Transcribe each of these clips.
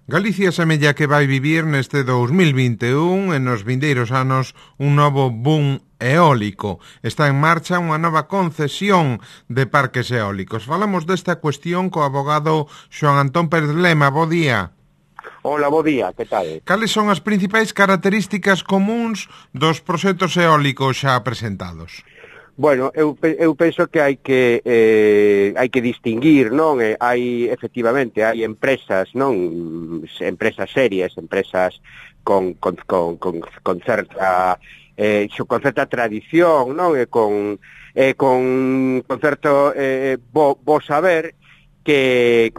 Galicia semella que vai vivir neste 2021 e nos vindeiros anos un novo boom eólico. Está en marcha unha nova concesión de parques eólicos. Falamos desta cuestión co abogado Xoán Antón Pérez Lema. Bo día. Hola, bo día, que tal? Cales son as principais características comuns dos proxectos eólicos xa presentados? Bueno, eu penso que hai que distinguir, non? Hai empresas, non? Empresas serias, empresas con certa tradición, non? Con certo bo saber que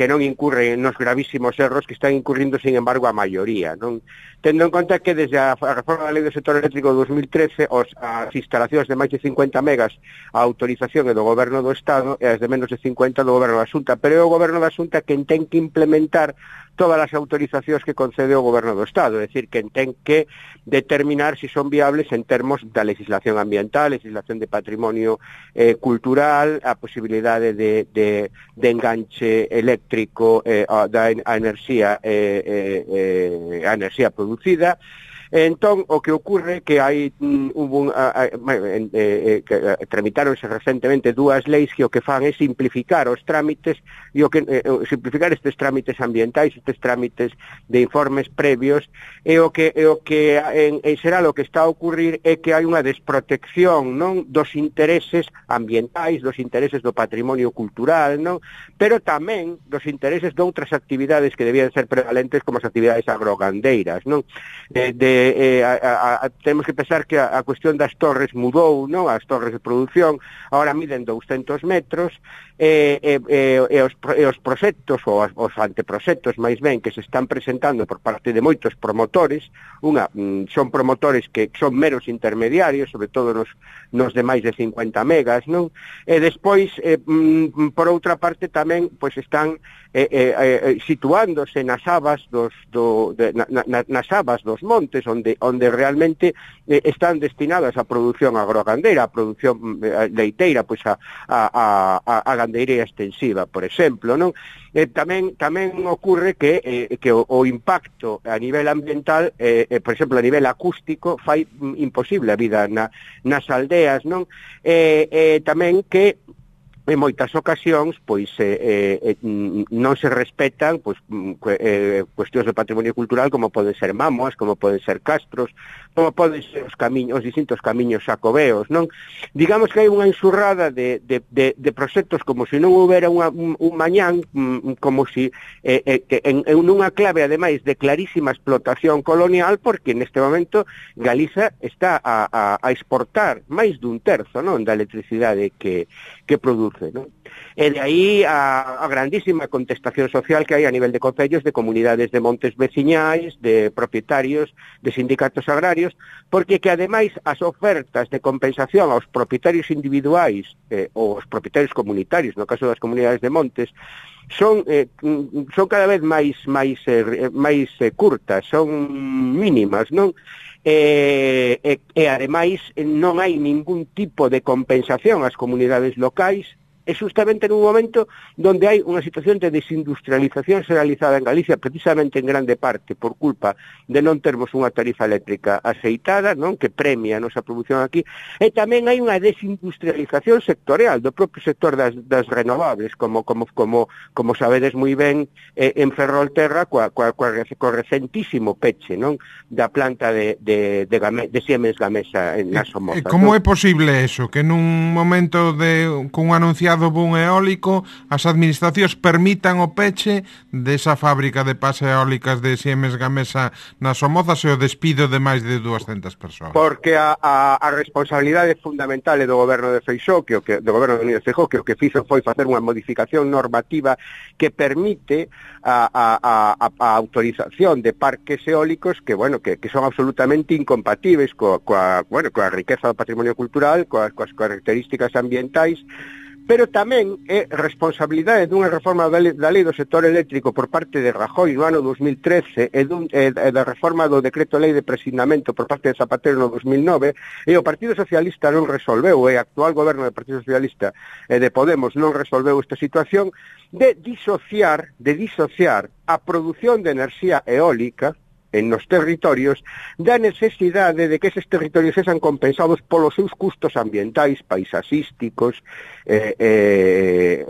non incurren nos gravísimos erros que están incurrindo, sin embargo, a maioría, non? Tendo en conta que desde a reforma da Lei do Sector Eléctrico de 2013 as instalacións de máis de 50 megas a autorización é do Goberno do Estado e as de menos de 50 do Goberno da Xunta, pero é o Goberno da Xunta quen ten que implementar todas as autorizacións que concede o Goberno do Estado, é dicir, quen ten que determinar se son viables en termos da legislación ambiental, legislación de patrimonio cultural, a posibilidade de enganche eléctrico a enerxía producida. Entón, o que ocorre que tramitáronse recentemente dúas leis que o que fan é simplificar os trámites e simplificar estes trámites ambientais, estes trámites de informes previos, e o que en xeral o que está a ocurrir é que hai unha desprotección, non, dos intereses ambientais, dos intereses do patrimonio cultural, non, pero tamén dos intereses de outras actividades que debían ser prevalentes, como as actividades agrogandeiras, non? Temos que pensar que a cuestión das torres mudou, non? As torres de produción agora miden 200 metros e os proxectos ou os anteproxectos máis ben que se están presentando por parte de moitos promotores, son promotores que son meros intermediarios, sobre todo nos de máis de 50 megas, non? E despois, por outra parte, tamén pois están situándose nas abas dos montes, onde realmente están destinadas a produción agrogandeira, a produción leiteira, pois a gandeiría extensiva, por exemplo, non? Tamén ocorre que o impacto a nivel ambiental, por exemplo, a nivel acústico, fai imposible a vida nas aldeas, non? Tamén que en moitas ocasións pois non se respetan pois cuestións de patrimonio cultural, como poden ser mámoas, como poden ser castros, como poden ser os distintos camiños xacobeos, non? Digamos que hai unha enxurrada de proxectos como se non houbera un mañán, como se en unha clave, ademais, de clarísima explotación colonial, porque neste momento Galiza está a exportar máis dun terzo, non, da electricidade que produce, non? E de aí a grandísima contestación social que hai a nivel de concellos, de comunidades de montes veciñais, de propietarios, de sindicatos agrarios, porque que ademais as ofertas de compensación aos propietarios individuais ou aos propietarios comunitarios, no caso das comunidades de montes, son cada vez máis curtas, son mínimas, non? E ademais non hai ningún tipo de compensación ás comunidades locais, é justamente nun momento onde hai unha situación de desindustrialización realizada en Galicia, precisamente en grande parte por culpa de non termos unha tarifa eléctrica aceitada, non, que premia a nosa produción aquí, e tamén hai unha desindustrialización sectorial do propio sector das renovables, como sabedes moi ben en Ferrolterra, co recentísimo peche, non, da planta de Siemens Gamesa na Somoza. Como é posible eso, que nun momento con un anunciado boom eólico as administracións permitan o peche desa fábrica de pas eólicas de Siemens Gamesa na Somoza e o despido de máis de 200 persoas? Porque a responsabilidade fundamental é do goberno de Feixóo, do goberno de Núñez Feijóo, que o que fixo foi facer unha modificación normativa que permite a autorización de parques eólicos que son absolutamente incompatibles coa riqueza do patrimonio cultural, coas características ambientais, pero tamén é responsabilidade dunha reforma da lei do sector eléctrico por parte de Rajoy no ano 2013 e da reforma do decreto lei de presignamento por parte de Zapatero no 2009, e o Partido Socialista non resolveu, e o actual goberno do Partido Socialista e de Podemos non resolveu esta situación de disociar a produción de enerxía eólica nos territorios da necesidade de que eses territorios sexan compensados polos seus custos ambientais, paisaxísticos e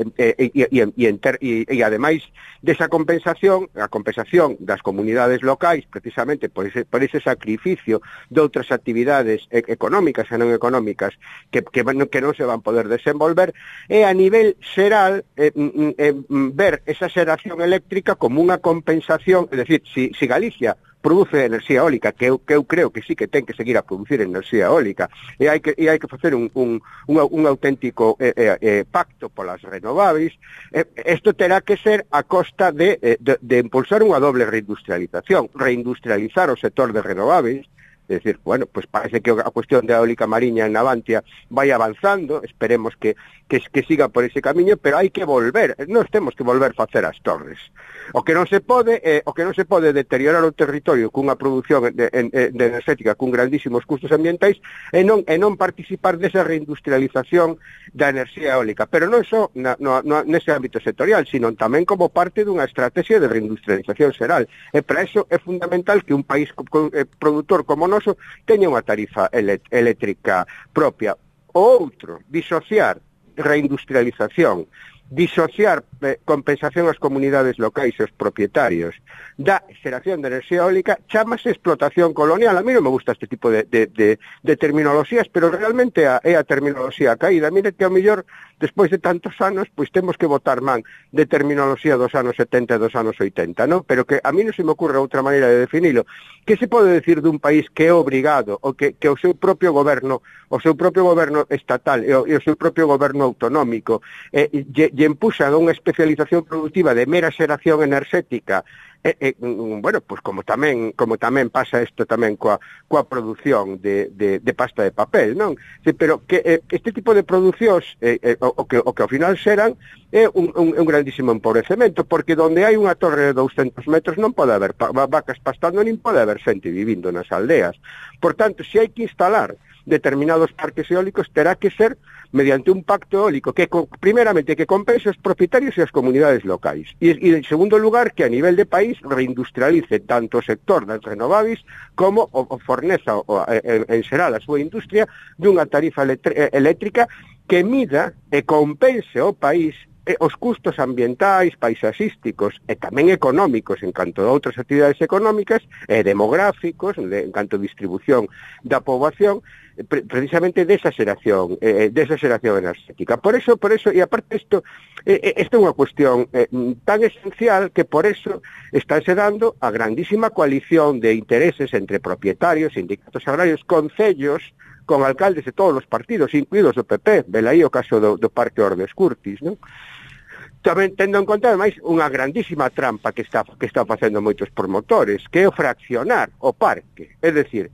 ademais desa compensación, a compensación das comunidades locais precisamente por ese sacrificio de outras actividades económicas e non económicas que non se van poder desenvolver, e a nivel xeral ver esa xeración eléctrica como unha compensación, é dicir, si Galicia produce enerxía eólica, que eu creo que sí que ten que seguir a producir enerxía eólica, e hai que facer un auténtico pacto polas renováveis, isto terá que ser a costa de impulsar unha doble reindustrializar o sector de renováveis. É dicir, bueno, pues parece que a cuestión da eólica mariña en Navantia vai avanzando, esperemos que siga por ese camiño, pero hai que volver, nós temos que volver a facer as torres. O que non se pode deteriorar o territorio cunha produción de enerxética cun grandísimos custos ambientais e non participar desa reindustrialización da enerxía eólica, pero non só nese ámbito sectorial, sino tamén como parte dunha estrategia de reindustrialización xeral. E para iso é fundamental que un país produtor como nós teña unha tarifa eléctrica propia. O outro, disociar reindustrialización, disociar compensación ás comunidades locais e aos propietarios da xeración de enerxía eólica, chamase explotación colonial. A mí non me gusta este tipo de terminoloxías, pero realmente é a terminoloxía caída. Mire que ao mellor, despois de tantos anos, pois temos que botar man de terminoloxía dos anos 70 e dos anos 80, non? Pero que a mí non se me ocurre outra maneira de definilo. Que se pode decir dun país que é obrigado, ou que o seu propio goberno estatal e o seu propio goberno autonómico lle empuxan a unha especialización productiva de mera xeración enerxética, bueno, pues como tamén pasa isto tamén coa produción de pasta de papel, non? Pero que este tipo de producións o que ao final xeran é un grandísimo empobrecemento, porque onde hai unha torre de 200 metros non pode haber vacas pastando, nin pode haber xente vivindo nas aldeas. Por tanto, se hai que instalar determinados parques eólicos, terá que ser mediante un pacto eólico que, primeramente, que compense os propietarios e as comunidades locais. E en segundo lugar, que a nivel de país reindustrialice tanto o sector das renováveis como o forneza en xeral a súa industria dunha tarifa eléctrica que mida e compense ao país os custos ambientais, paisaxísticos e tamén económicos en canto a outras actividades económicas e demográficos, en canto a distribución da poboación, precisamente desa xeración enerxética. Por eso, e aparte isto é unha cuestión tan esencial que por eso estánse dando a grandísima coalición de intereses entre propietarios, sindicatos agrarios, concellos, con alcaldes de todos os partidos, incluídos o PP, velaí o caso do Parque Ordes Curtis, non? Tamén tendo en conta, ademais, unha grandísima trampa que está facendo moitos promotores, que é o fraccionar o parque. É dicir,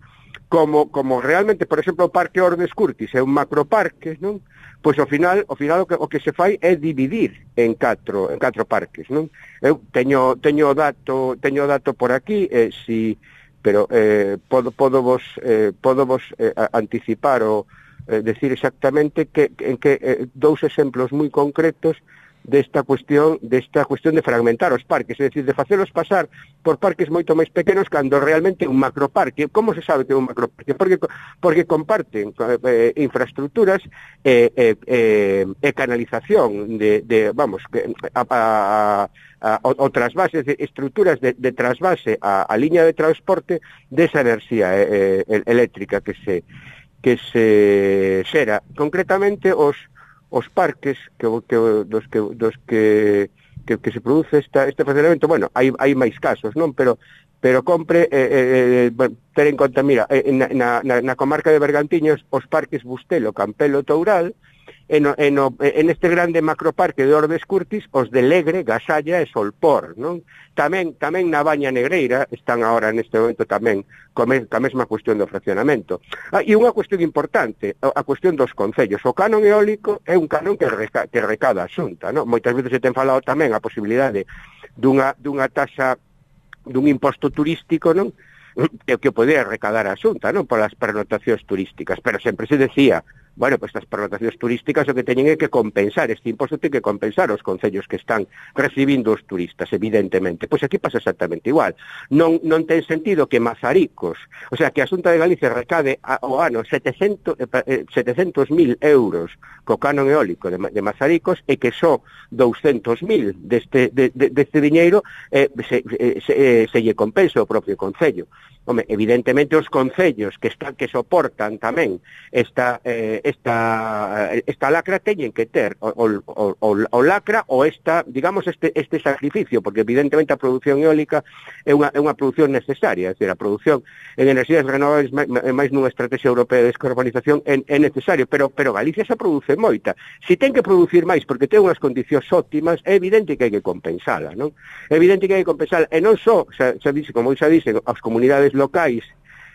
como realmente, por exemplo, o Parque Ordes Curtis é un macroparque, non? Pois ao final o que se fai é dividir en catro parques, non? Eu teño dato por aquí, pero podo vos anticipar ou decir exactamente en que dous exemplos moi concretos desta cuestión de fragmentar os parques, é dicir, de facelos pasar por parques moito máis pequenos cando realmente un macroparque. Como se sabe que é un macroparque? Porque comparten infraestructuras e canalización o trasvase, estruturas de trasvase a liña de transporte desa enerxía eléctrica que se xera. Concretamente os parques dos que se produce este funcionamento, bueno, hai máis casos, non? Pero compre ter en conta, mira, na comarca de Bergantiños, os parques Bustelo, Campelo, Toural, en este grande macroparque de Ordes Curtis, os de Legre, Gasalla e Solpor, non? Tamén na Baña Negreira están agora neste momento tamén ca mesma cuestión do fraccionamento. E unha cuestión importante, a cuestión dos concellos. O canon eólico é un canon que recada a Xunta, non? Moitas veces se ten falado tamén a posibilidade dunha taxa, dun imposto turístico, non? Que podía recadar a Xunta, non? Polas pernotacións turísticas, pero sempre se decía, bueno, pues estas pernotacións turísticas o que teñen é que compensar, este imposto ten que compensar os concellos que están recibindo os turistas, evidentemente. Pois aquí pasa exactamente igual. Non ten sentido que Mazaricos, o sea, que a Xunta de Galicia recade ao ano 700.000 euros co canon eólico de Mazaricos e que só 200.000 deste diñeiro se lle compensa o propio concello. Home, evidentemente os concellos que soportan tamén esta lacra teñen que ter o lacra ou digamos este sacrificio, porque evidentemente a produción eólica é unha produción necesaria, é dicir, a produción en enerxías renovables máis nunha estrategia europea de descarbonización é necesario, pero Galicia xa produce moita. Se ten que producir máis porque ten unhas condicións óptimas, é evidente que hai que compensala, non? É evidente que hai que compensala, e non só, como xa dixen, as comunidades locais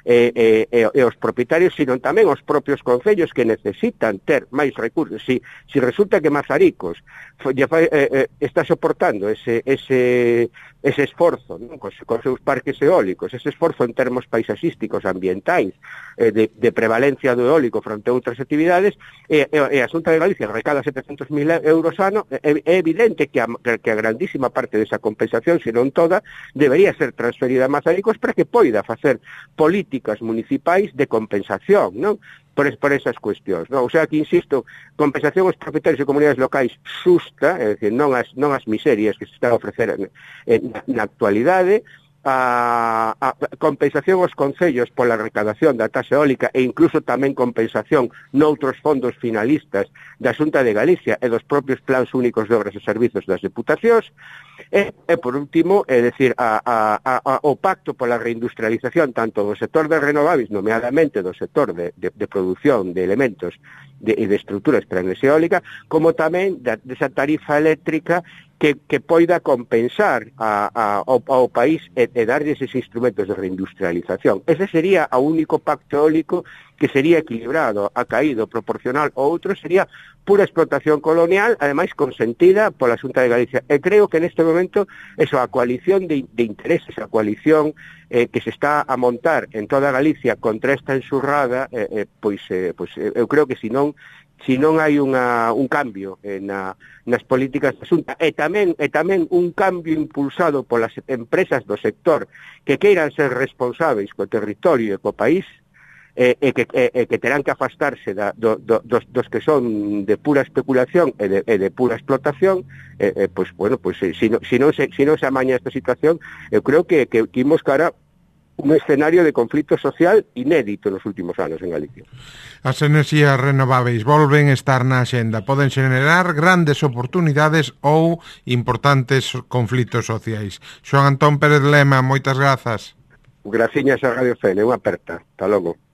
e os propietarios, sino tamén os propios concellos que necesitan ter máis recursos. Si resulta que Mazaricos está soportando ese esforzo, non? Cos seus parques eólicos, ese esforzo en termos paisaxísticos, ambientais, de prevalencia do eólico fronte a outras actividades, e a Xunta de Galicia recada 700.000 euros ano, é evidente que a grandísima parte desa compensación, se non toda, debería ser transferida a Mazaricos para que poida facer políticas municipais de compensación, non? Por esas cuestións, non? O sea, que insisto, compensación aos propietarios e comunidades locais xusta, é dicir, non as miserias que se están a ofrecer na actualidade, a compensación aos concellos pola recadación da taxa eólica e incluso tamén compensación noutros fondos finalistas da Xunta de Galicia e dos propios plans únicos de obras e servizos das deputacións, e por último, é dicir, o pacto pola reindustrialización tanto do sector de renovables, nomeadamente do sector de produción de elementos e de estruturas para a enerxía eólica, como tamén desa tarifa eléctrica que poida compensar ao país e darlle eses instrumentos de reindustrialización. Ese sería o único pacto eólico que sería equilibrado, acaído, proporcional, o outro sería pura explotación colonial, ademais consentida pola Xunta de Galicia. E creo que neste momento a coalición de intereses, a coalición que se está a montar en toda Galicia contra esta enxurrada, pois eu creo que se non hai un cambio nas políticas da Xunta e tamén un cambio impulsado polas empresas do sector que queiran ser responsáveis co territorio e co país, e que terán que afastarse dos que son de pura especulación e de pura explotación, se non se amaña esta situación, eu creo que imos cara un escenario de conflito social inédito nos últimos anos en Galicia. As enerxías renováveis volven estar na axenda, poden xenerar grandes oportunidades ou importantes conflitos sociais. Xoán Antón Pérez Lema, moitas grazas. Graciñas a Radio Fene, unha aperta. Hasta logo.